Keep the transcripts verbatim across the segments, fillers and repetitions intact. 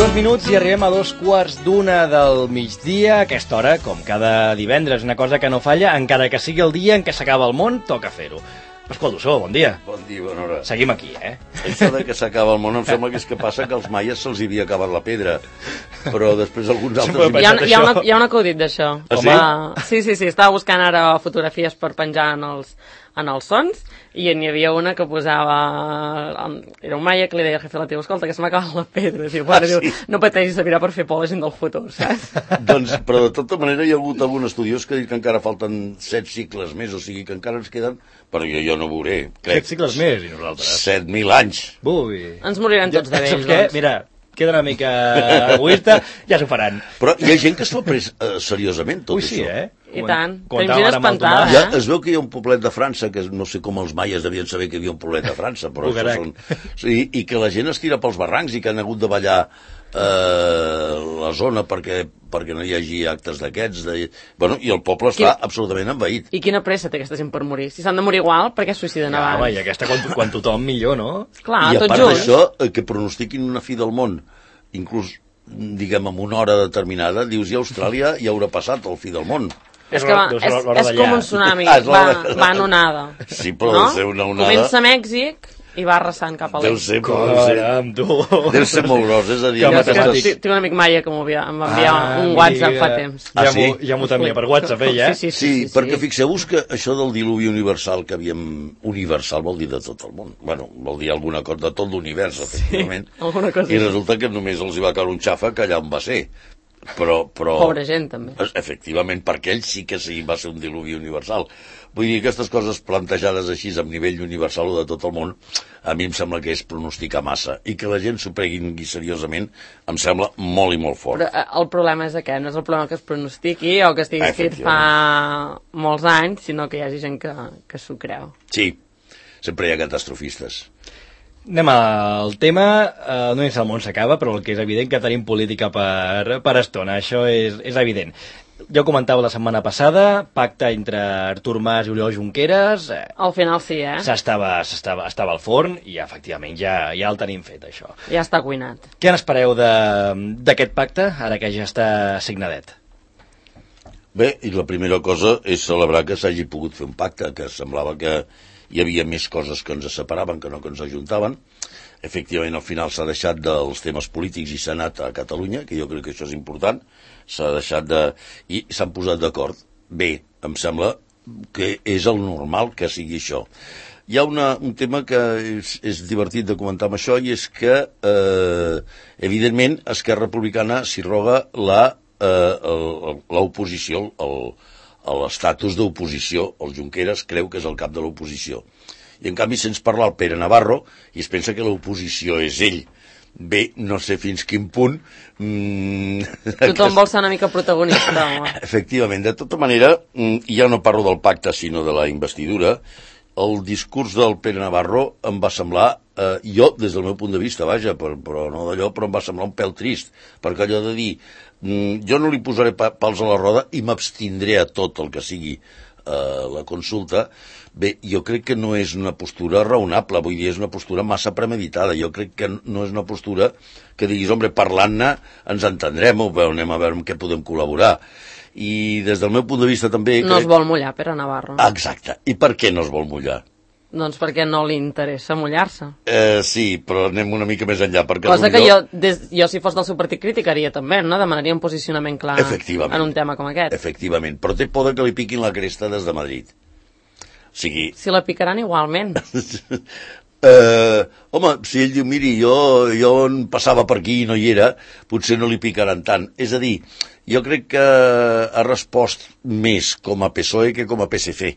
Dos minuts i arribem a dos quarts d'una del migdia. A aquesta hora, com cada divendres, una cosa que no falla, encara que sigui el dia en què s'acaba el món, toca fer-ho. Pasqual Dussó, bon dia. Bon dia, bona hora. Seguim aquí, eh? Això de que s'acaba el món em sembla que és que passa que als maies se'ls havia acabat la pedra, però després alguns altres... Hi ha, hi ha, una, hi ha un acudit d'això. Ah, sí? Uh, sí, sí, sí, estava buscant ara fotografies per penjar en els, en els sons i n'hi havia una que posava... Era un maia que li deia al jefe de la teva, escolta, que se m'ha acabat la pedra. Diu, bueno, Ah, sí? diu, no pateixis, servirà per fer por a la gent del futur, saps? Doncs, però de tota manera hi ha hagut algun estudiós que diu que encara falten set cicles més, o sigui que encara ens queden, però jo, jo no veuré, crec. Set cicles més, i nosaltres. Set mil anys. Ui. Ens morirem tots de vells, Saps què? doncs. Mira, queda una mica egoista, ja s'ho faran. Però hi ha gent que s'ho ha pres eh, seriosament, tot Ui, sí, això. eh? I tant. Com Tenim gent ara amb el espantada, Tomàs. Ja eh? es veu que hi ha un poblet de França, que no sé com els maies devien saber que hi havia un poblet de França, però això són... I, i que la gent es tira pels barrancs i que han hagut de ballar eh, la zona perquè, perquè no hi hagi actes d'aquests. De... Bueno, i el poble està Quin... absolutament envaït. I quina pressa té aquesta gent per morir? Si s'han de morir igual, per què es suïciden Ja, abans? home, i aquesta quan, quan tothom millor, no? Clar, I a tots part junts. d'això, eh, que pronostiquin una fi del món, inclús, diguem, en una hora determinada, dius, i a Austràlia ja haurà passat el fi del món. És que va, Deu és, ser l'hora és d'allà. com un tsunami, Ah, és va, l'hora de- va en onada. Sí, però no? deu ser una onada... Comença a Mèxic i va arrasant cap a Deu l'est. ser, però deu ser, Caram, tu. deu ser molt gros, és a dir... Que Jo és que matemàtic. tinc tinc un amic maia que m'ho havia- em va enviar Ah, un WhatsApp fa amiga. temps. Ah, Ja sí? m'ho ja m'ho t'envia per WhatsApp, ella, eh? Sí, sí, Sí, sí, sí, perquè sí. fixeu-vos que això del diluvi universal que havíem... Universal vol dir de tot el món. Bueno, vol dir alguna cosa de tot l'univers, efectivament. alguna cosa I així. resulta que només els hi va caure un xàfec allà on va ser. Però, però... Pobra gent, també. Efectivament, perquè ell sí que sí va ser un diluvi universal. Vull dir, aquestes coses plantejades així a nivell universal o de tot el món, a mi em sembla que és pronosticar massa. I que la gent s'ho prengui seriosament em sembla molt i molt fort. Però eh, el problema és aquest, no és el problema que es pronostiqui o que estigui escrit fa molts anys, sinó que hi hagi gent que, que s'ho creu. Sí, sempre hi ha catastrofistes. Anem al tema, eh, no és el món s'acaba, però el que és evident que tenim política per, per estona, això és, és evident. Jo comentava la setmana passada, pacte entre Artur Mas i Oriol Junqueras, eh, Al final sí, eh? s'estava, s'estava, estava al forn i efectivament ja, ja el tenim fet, això. Ja està cuinat. Què n'espereu de- d'aquest pacte, ara que ja està signadet? Bé, i la primera cosa és celebrar que s'hagi pogut fer un pacte, que semblava que hi havia més coses que ens separaven que no que ens ajuntaven. Efectivament, al final s'ha deixat dels temes polítics i s'ha anat a Catalunya, que jo crec que això és important, s'ha deixat de... i s'han posat d'acord. Bé, em sembla que és el normal que sigui això. Hi ha una, un tema que és, és divertit de comentar amb això, i és que, eh, evidentment, Esquerra Republicana s'hi roga la, eh, l'oposició, el, l'estatus d'oposició. El Junqueras creu que és el cap de l'oposició. I, en canvi, sents parlar el Pere Navarro i es pensa que l'oposició és ell. Bé, no sé fins quin punt... Mm, Tothom vol ser una mica protagonista, home. Efectivament, de tota manera, ja no parlo del pacte, sinó de la investidura. El discurs del Pere Navarro em va semblar, eh, jo, des del meu punt de vista, vaja, però, però no d'allò, però em va semblar un pèl trist, perquè allò de dir, mm, jo no li posaré pa pals a la roda i m'abstindré a tot el que sigui eh, la consulta. Bé, jo crec que no és una postura raonable, vull dir, és una postura massa premeditada. Jo crec que no és una postura que diguis, hombre, parlant-ne ens entendrem, o bé, anem a veure amb què podem col·laborar. I des del meu punt de vista també... No crec... es vol mullar, Pere Navarro. Exacte. I per què no es vol mullar? Doncs perquè no li interessa mullar-se. Eh, sí, però anem una mica més enllà. Perquè Cosa que millor... jo, des, jo, si fos del seu partit, criticaria també, no? Demanaria un posicionament clar en un tema com aquest. Efectivament, però té por que li piquin la cresta des de Madrid. O sigui... Si la picaran igualment. eh, home, si ell diu, miri, jo, jo on passava per aquí i no hi era, potser no li picaran tant. És a dir, jo crec que ha respost més com a P S O E que com a P S F,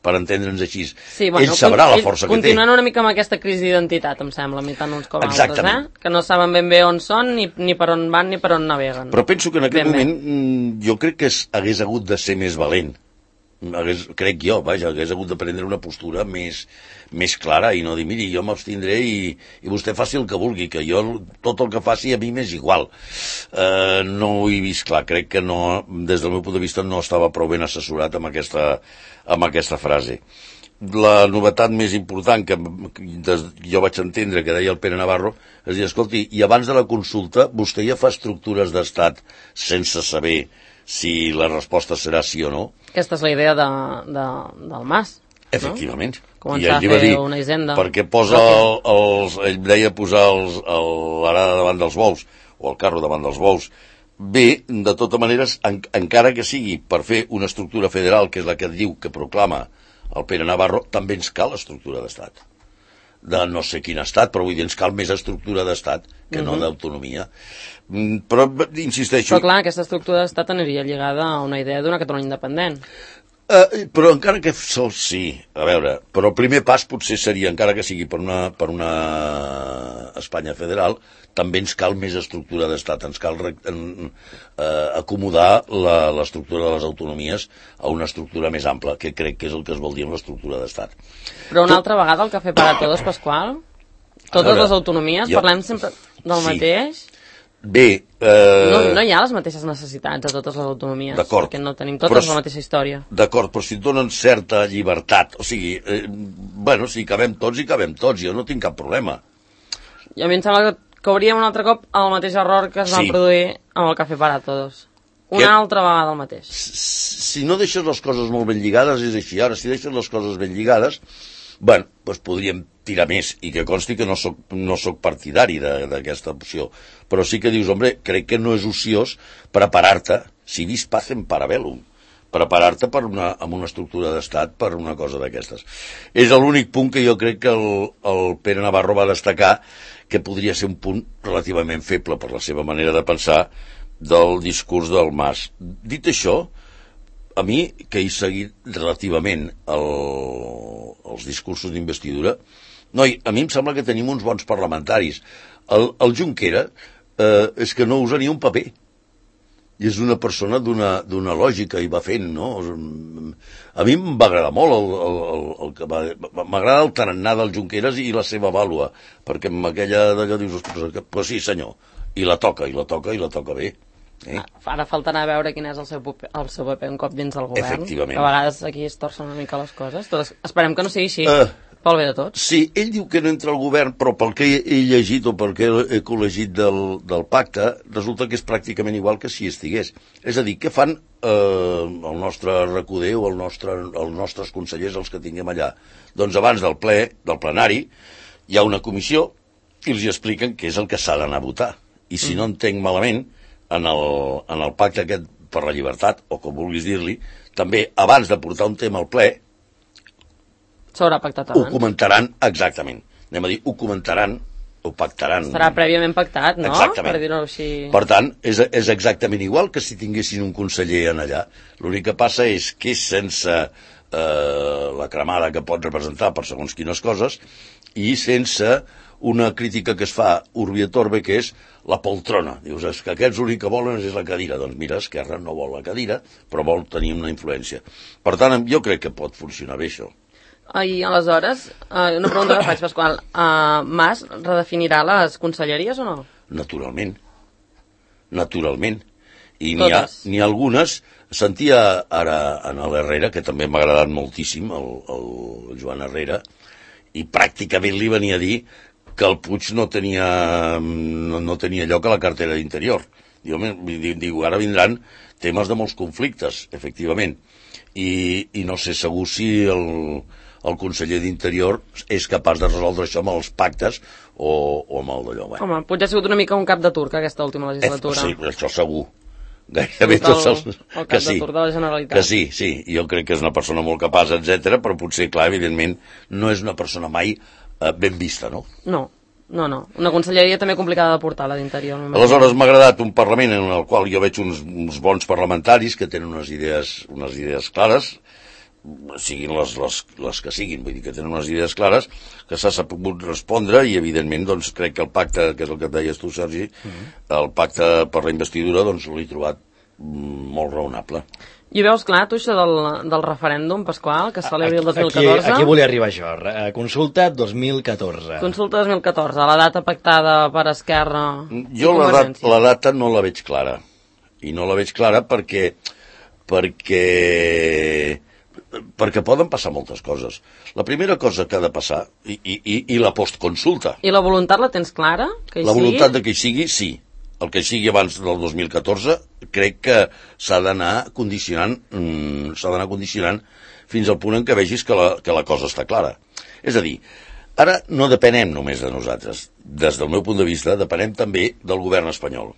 per entendre'ns així. Sí, bueno, ell sabrà la ell força que té. Continuant una mica amb aquesta crisi d'identitat, em sembla, a mi tant uns com altres, eh? Que no saben ben bé on són, ni, ni per on van, ni per on naveguen. Però penso que en aquest ben moment bé. Jo crec que es, hagués hagut de ser més valent. Hagués, crec jo, vaja, hagués hagut de prendre una postura més, més clara i no dir, miri, jo m'abstindré i, i vostè faci el que vulgui, que jo tot el que faci a mi m'és igual. Eh, no ho he vist clar, crec que no, des del meu punt de vista no estava prou ben assessorat amb aquesta, amb aquesta frase. la novetat més important que jo vaig entendre que deia el Pere Navarro és dir, escolti, i abans de la consulta vostè ja fa estructures d'estat sense saber si la resposta serà sí o no. Aquesta és la idea de, de, del Mas. Efectivament. No? Començar a fer dir, una hisenda. perquè posa el, els, ell deia posar els, el, l'arada davant dels bous, o el carro davant dels bous. Bé, de tota manera, en, encara que sigui per fer una estructura federal, que és la que diu que proclama el Pere Navarro, també ens cal estructura d'estat. De no sé quin estat, però vull dir, ens cal més estructura d'estat que no uh-huh. d'autonomia. Però, insisteixo... Però clar, aquesta estructura d'estat aniria lligada a una idea d'una Catalunya independent. Uh, però encara que sol sí, a veure, però el primer pas potser seria, encara que sigui per una, per una Espanya federal, també ens cal més estructura d'estat, ens cal en, uh, acomodar la, l'estructura de les autonomies a una estructura més ampla, que crec que és el que es vol dir amb l'estructura d'estat. Però una altra vegada el Cafè para Todos, Pasqual, totes veure, les autonomies, jo, parlem sempre del sí. mateix... Bé... Eh... No, no hi ha les mateixes necessitats a totes les autonomies, d'acord, perquè no tenim totes però, la mateixa història. D'acord, però si et donen certa llibertat, o sigui, eh, bueno, si cabem tots i cabem tots, jo no tinc cap problema. I a mi em sembla que cauríem un altre cop el mateix error que es va sí. produir amb el Cafè para Todos. Una que... altra vegada el mateix. Si no deixes les coses molt ben lligades, és així. Ara, si deixes les coses ben lligades, bueno, doncs podríem tirar més, i que consti que no soc, no soc partidari d'aquesta opció, però sí que dius, hombre, crec que no és ociós preparar-te, si vis pacem para bellum, preparar-te per una, amb una estructura d'estat per una cosa d'aquestes. És l'únic punt que jo crec que el, el Pere Navarro va destacar, que podria ser un punt relativament feble per la seva manera de pensar del discurs del Mas. Dit això, a mi, que he seguit relativament el, els discursos d'investidura, noi, a mi em sembla que tenim uns bons parlamentaris. El, el Junquera eh, és que no usa ni un paper. I és una persona d'una, d'una lògica i va fent, no? A mi em va agradar molt el, el, el, el que va... M'agrada el tarannà del Junqueras i la seva vàlua, perquè amb aquella d'allò dius, pues sí senyor, i la toca, i la toca, i la toca bé. Eh? Ara faltarà veure quin és el seu, paper, el seu paper un cop dins del govern. Efectivament. Que a vegades aquí es torcen una mica les coses. Tot, esperem que no sigui així, uh, pel bé de tots. Sí, ell diu que no entra al govern, però pel que he llegit o pel que he col·legit del, del pacte, resulta que és pràcticament igual que si estigués. És a dir, què fan eh, el nostre recoder o el nostre, els nostres consellers, els que tinguem allà? Doncs abans del ple, del plenari, hi ha una comissió i els expliquen què és el que s'ha d'anar a votar. I si mm. no entenc malament, en el, en el pacte aquest per la llibertat, o com vulguis dir-li, també abans de portar un tema al ple, s'haurà pactat abans. Ho comentaran exactament. Anem a dir, ho comentaran, ho pactaran. Estarà prèviament pactat, no? Exactament. Per dir-ho així. Per tant, és, és exactament igual que si tinguessin un conseller en allà. L'únic que passa és que sense eh, la cremada que pot representar per segons quines coses i sense una crítica que es fa urbi et orbi, que és la poltrona. Dius, és que aquests l'únic que volen és la cadira. Doncs mira, Esquerra no vol la cadira, però vol tenir una influència. Per tant, jo crec que pot funcionar bé això. I aleshores, eh, una pregunta que faig, Pasqual, uh, Mas redefinirà les conselleries o no? Naturalment. Naturalment. I n'hi ha, n'hi ha algunes, sentia ara en l'Herrera, que també m'ha agradat moltíssim, el, el Joan Herrera, i pràcticament li venia a dir que el Puig no tenia, no, no tenia lloc a la cartera d'Interior. Diu, diu, ara vindran temes de molts conflictes, efectivament, i, i no sé segur si el, el conseller d'Interior és capaç de resoldre això amb els pactes o, o amb el d'allò. Bueno. Home, Puig ha sigut una mica un cap de turc aquesta última legislatura. Eh, sí, això segur. Gairebé tots els... El, el cap que sí, de turc de la Generalitat. que sí, sí, jo crec que és una persona molt capaç, etcètera, però potser, clar, evidentment, no és una persona mai eh, ben vista, no? No, no, no. Una conselleria també complicada de portar, la d'Interior. Aleshores, m'ha agradat un Parlament en el qual jo veig uns, uns bons parlamentaris que tenen unes idees, unes idees clares, siguin les, les, les que siguin, vull dir que tenen unes idees clares, que s'ha sabut respondre i, evidentment, doncs, crec que el pacte, que és el que et deies tu, Sergi, uh-huh. el pacte per la investidura, doncs, l'he trobat molt raonable. I veus clar, tu, això del, del referèndum, Pasqual, que es celebri el dos mil catorze? Aquí, aquí volia arribar jo. Consulta dos mil catorze. Consulta dos mil catorze, la data pactada per Esquerra jo la, dat, la data no la veig clara. I no la veig clara perquè perquè perquè poden passar moltes coses. La primera cosa que ha de passar, i, i, i la postconsulta. I la voluntat la tens clara? Que hi la sigui? voluntat de que hi sigui, sí. El que hi sigui abans del dos mil catorze, crec que s'ha d'anar condicionant, mm, s'ha d'anar condicionant fins al punt en què vegis que la, que la cosa està clara. És a dir, ara no depenem només de nosaltres. Des del meu punt de vista, depenem també del govern espanyol.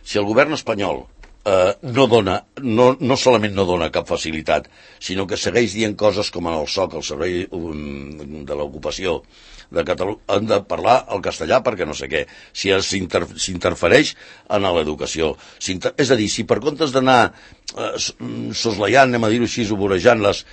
Si el govern espanyol eh, no dona, no, no solament no dona cap facilitat, sinó que segueix dient coses com en el S O C, el Servei um, de l'Ocupació de Catalunya, han de parlar el castellà perquè no sé què, si s'interfereix en l'educació. És a dir, si per comptes d'anar eh, soslayant, anem a dir-ho així, vorejant-les,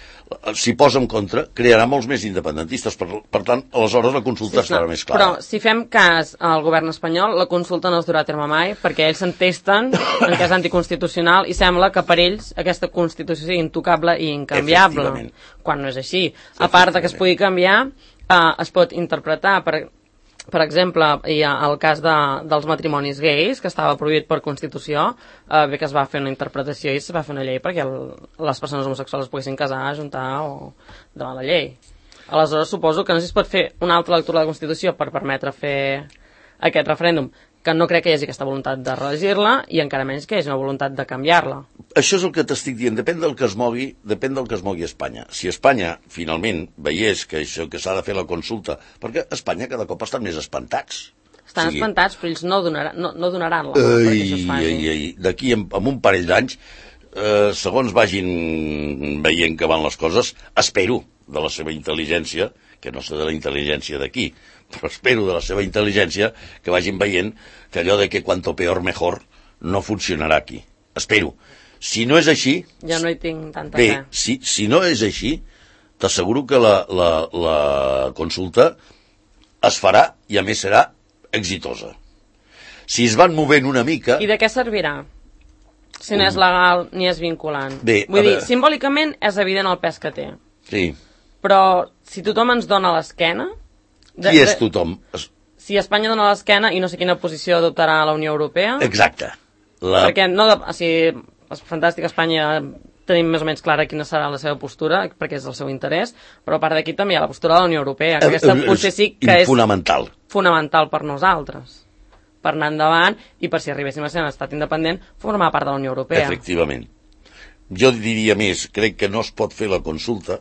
s'hi posa en contra, crearà molts més independentistes. Per, per tant, aleshores la consulta sí, estarà més clara. Però si fem cas al govern espanyol, la consulta no es durà a terme mai, perquè ells s'entesten en que és anticonstitucional i sembla que per ells aquesta constitució sigui intocable i incanviable, quan no és així. A part de que es pugui canviar, Uh, es pot interpretar, per, per exemple, hi ha el cas de, dels matrimonis gais, que estava prohibit per Constitució, uh, bé que es va fer una interpretació i es va fer una llei perquè el, les persones homosexuals es poguessin casar, ajuntar o davant la llei. Aleshores, suposo que no sé si es pot fer una altra lectura de la Constitució per permetre fer aquest referèndum, que no crec que hi hagi aquesta voluntat de regir-la i encara menys que hi hagi una voluntat de canviar-la. Això és el que t'estic dient, depèn del que es mogui, depèn del que es mogui a Espanya. Si Espanya, finalment, veiés que això que s'ha de fer la consulta, perquè a Espanya cada cop estan més espantats. Estan o sigui, espantats, però ells no, donarà, no, no donaran la mà perquè això es faci. D'aquí, en, en un parell d'anys, eh, segons vagin veient que van les coses, espero de la seva intel·ligència, que no sé de la intel·ligència d'aquí, però espero de la seva intel·ligència que vagin veient que allò de que cuanto peor mejor no funcionarà aquí. Espero. Si no és així... Jo no hi tinc tanta bé, fe. Si, si no és així, t'asseguro que la, la, la consulta es farà i a més serà exitosa. Si es van movent una mica... I de què servirà? Si no és legal ni és vinculant. Bé, Vull dir, simbòlicament és evident el pes que té. Sí. Però si tothom ens dona l'esquena... De, Qui és tothom? Si Espanya dona l'esquena i no sé quina posició adoptarà la Unió Europea... Exacte. La... Perquè no... De, o sigui, és fantàstic, Espanya tenim més o menys clara quina serà la seva postura, perquè és el seu interès, però a part d'aquí també hi ha la postura de la Unió Europea, que aquesta potser sí que és... Fonamental. Fonamental per nosaltres. Per anar endavant i per si arribéssim a ser un estat independent, formar part de la Unió Europea. Efectivament. Jo diria més, crec que no es pot fer la consulta.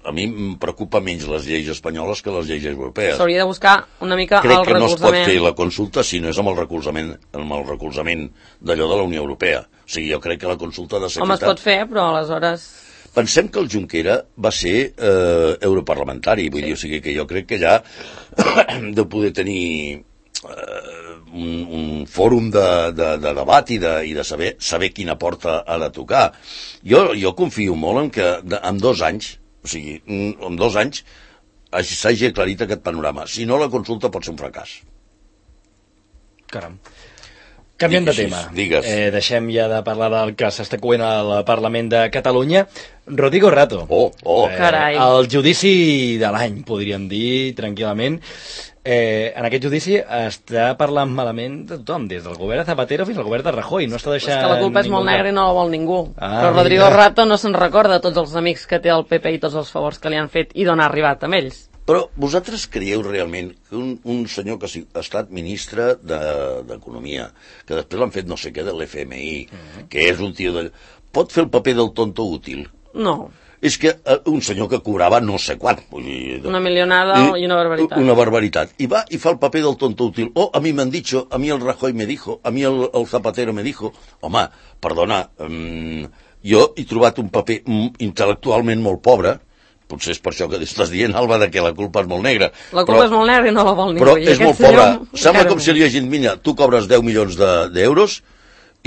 A mi em preocupa menys les lleis espanyoles que les lleis europees. S'hauria de buscar una mica Crec el recolzament. Crec que no es pot fer la consulta si no és amb el recolzament, amb el recolzament d'allò de la Unió Europea. O sigui, jo crec que la consulta ha de ser... Home, es pot fer, però aleshores... Pensem que el Junquera va ser eh, europarlamentari, vull sí. dir, o sigui que jo crec que ja hem de poder tenir eh, un, un fòrum de, de, de debat i de, i de saber, saber quina porta ha de tocar. Jo, jo confio molt en que de, en dos anys o sigui, en dos anys s'hagi aclarit aquest panorama. Si no, la consulta pot ser un fracàs. Caram. Canviem de tema. Digues. Eh, deixem ja de parlar del que s'està coent al Parlament de Catalunya. Rodrigo Rato. Oh, oh. Eh, Carai. El judici de l'any, podríem dir, tranquil·lament. Eh, en aquest judici està parlant malament de tothom, des del govern de Zapatero fins al govern de Rajoy. No està deixant... És que la culpa és molt cap... negra i no la vol ningú. Ah, però Rodrigo mira. Rato no se'n recorda de tots els amics que té el P P i tots els favors que li han fet i d'on ha arribat amb ells. Però vosaltres creieu realment que un, un senyor que ha estat ministre d'Economia, de, que després l'han fet no sé què de l'F M I, mm-hmm. que és un tio de... pot fer el paper del tonto útil? No. És que uh, un senyor que cobrava no sé quant. Vull dir, una milionada i, i una barbaritat. Una barbaritat. I va i fa el paper del tonto útil. Oh, a mi m'han dicho, a mi el Rajoy me dijo, a mi el, el Zapatero me dijo. Home, perdona, um, jo he trobat un paper um, intel·lectualment molt pobre, potser és per això que estàs dient, Alba, de que la culpa és molt negra. La culpa però, és molt negra i no la vol ningú. Però és molt pobra. Sembla com si li hagin dit, mira, tu cobres deu milions d'euros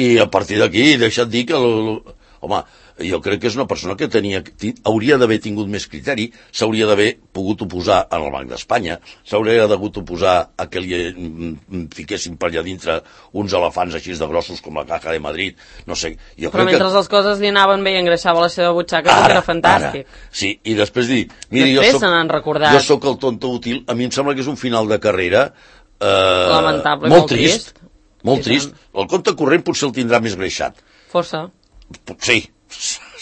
i a partir d'aquí deixa't dir que... El, home, jo crec que és una persona que tenia, hauria d'haver tingut més criteri, s'hauria d'haver pogut oposar al Banc d'Espanya, s'hauria d'hagut oposar a que li fiquessin per allà dintre uns elefants així de grossos com la Caja de Madrid, no sé. Jo Però mentre que... les coses li anaven bé i engreixava la seva butxaca, ara, era fantàstic. Ara. Sí, i després dir, miri, després jo soc, jo soc el tonto útil, a mi em sembla que és un final de carrera eh, lamentable, molt, molt trist, trist. Molt trist. El compte corrent potser el tindrà més greixat. Força. Sí,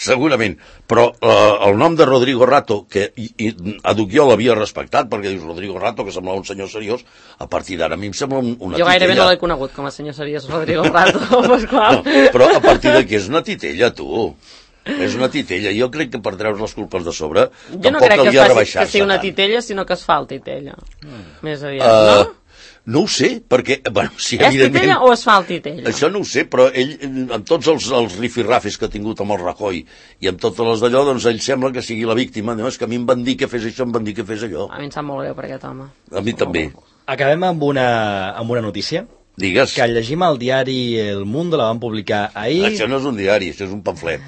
segurament. Però eh, el nom de Rodrigo Rato, que i, i, Aduc jo l'havia respectat, perquè dius Rodrigo Rato, que semblava un senyor seriós, a partir d'ara a mi em sembla un, una jo titella. Jo gairebé no l'he conegut com a senyor seriós, Rodrigo Rato, Pasqual. No, però a partir d'aquí és una titella, tu. És una titella. Jo crec que per treure les culpes de sobre, jo no tampoc crec que, calia faci, que sigui una tant. titella, sinó que es fa el titella. Mm. Més aviat, uh, no? No ho sé, perquè... Bueno, sí, és titella o es fa el titella? Això no ho sé, però ell, amb tots els, els rifirrafis que ha tingut amb el Rajoy i amb totes les d'allò, doncs ell sembla que sigui la víctima. No, és que a mi em van dir que fes això, em van dir que fes allò. A mi em sap molt greu per aquest home. A mi també. Acabem amb una, amb una notícia. Digues. Que llegim al diari El Mundo, la van publicar ahir. Això no és un diari, això és un pamflet.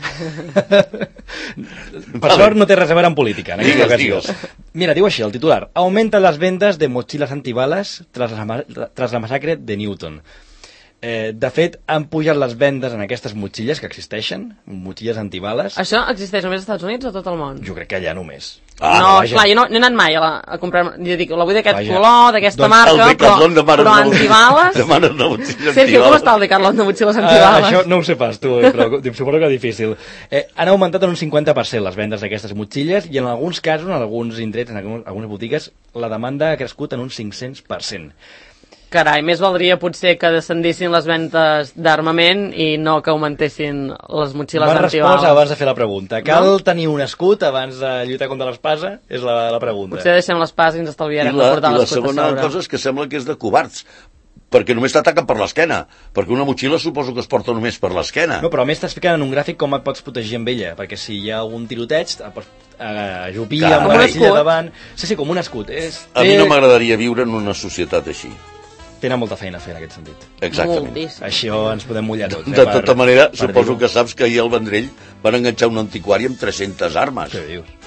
Per sort no té res a veure amb política. En digues, digues. Mira, diu així el titular. Aumenten las ventas de mochilas antibalas tras la, tras la masacre de Newton. Eh, de fet, han pujat les vendes en aquestes motxilles que existeixen, motxilles antibales. Això existeix només als Estats Units o a tot el món? Jo crec que allà només. Ah, no, vaja. Clar, jo no, no he anat mai a, la, a comprar... Jo dic, la vull d'aquest color, d'aquesta doncs marca, però, però antibales... Demanes una motxilla Sergio, com està el Decathlon de motxilles antibales? Uh, això no ho sé pas, tu, però suposo que és difícil. Eh, han augmentat en un cinquanta per cent les vendes d'aquestes motxilles i en alguns casos, en alguns indrets, en algunes, algunes botigues, la demanda ha crescut en un cinc-cents per cent. Carai, més valdria potser que descendissin les ventes d'armament i no que augmentessin les motxilles antibales. Van respondre abans de fer la pregunta. Cal no? tenir un escut abans de lluitar contra l'espasa? És la, la pregunta. Potser deixem l'espasa i ens estalviarem I la, de portar l'escut a sobre. I la segona cosa és que sembla que és de covards, perquè només t'ataquen per l'esquena, perquè una motxilla suposo que es porta només per l'esquena. No, però a més t'expliquen en un gràfic com et pots protegir amb ella, perquè si hi ha algun tiroteig, et pots ajupir amb la motxilla davant... Sí, sí, com un escut. És... A mi no m'agradaria viure en una societat així. Tenen molta feina a fer en aquest sentit. Exactament. Moltíssim. Això ens podem mullar tots. Eh, de tota per, manera, suposo que saps que ahir al Vendrell van enganxar un antiquari amb tres-centes armes. Què dius?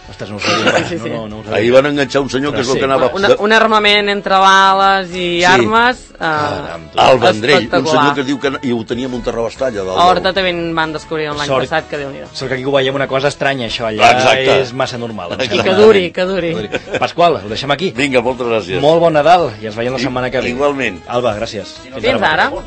Ostres, no ho sabia. Sí, sí. No, no, no ahir van enganxar un senyor Però que és el sí. que anava... Una, un armament entre bales i sí. armes uh, al Vendrell, un senyor que diu que hi ho tenia amb un terrabastall. A Horta també van descobrir l'any Sort, passat, que Déu-n'hi-do. Sort que aquí ho veiem una cosa estranya, això allà Exacte. és massa normal. I que duri, que duri. Pasqual, ho deixem aquí. Vinga, moltes gràcies. Molt bon Nadal i ens veiem la setmana que ve. Igualment. Alba, gràcies. Fins, Fins ara. ara.